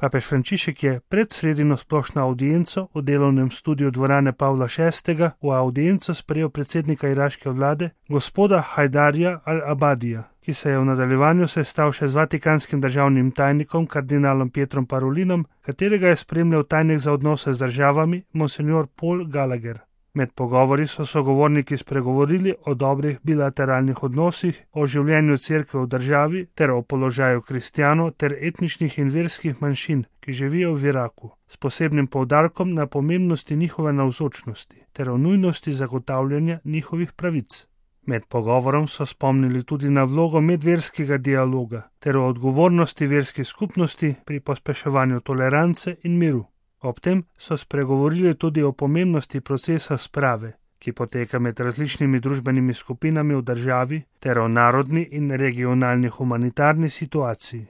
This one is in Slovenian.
Papež Frančišek je pred sredino splošno audienco v delovnem studiu dvorane Pavla VI. V audienco sprejel predsednika iraške vlade, gospoda Hajdarja al-Abadija, ki se je v nadaljevanju sestal še z vatikanskim državnim tajnikom kardinalom Pietrom Parolinom, katerega je spremljal tajnik za odnose z državami monsignor Paul Gallagher. Med pogovori so sogovorniki spregovorili o dobrih bilateralnih odnosih, o življenju cerkve v državi ter o položaju kristjanov ter etničnih in verskih manjšin, ki živijo v Iraku, s posebnim poudarkom na pomembnosti njihove navzočnosti ter o nujnosti zagotavljanja njihovih pravic. Med pogovorom so spomnili tudi na vlogo medverskega dialoga ter o odgovornosti verskih skupnosti pri pospeševanju tolerance in miru. Ob tem so spregovorili tudi o pomembnosti procesa sprave, ki poteka med različnimi družbenimi skupinami v državi, ter o narodni in regionalni humanitarni situaciji.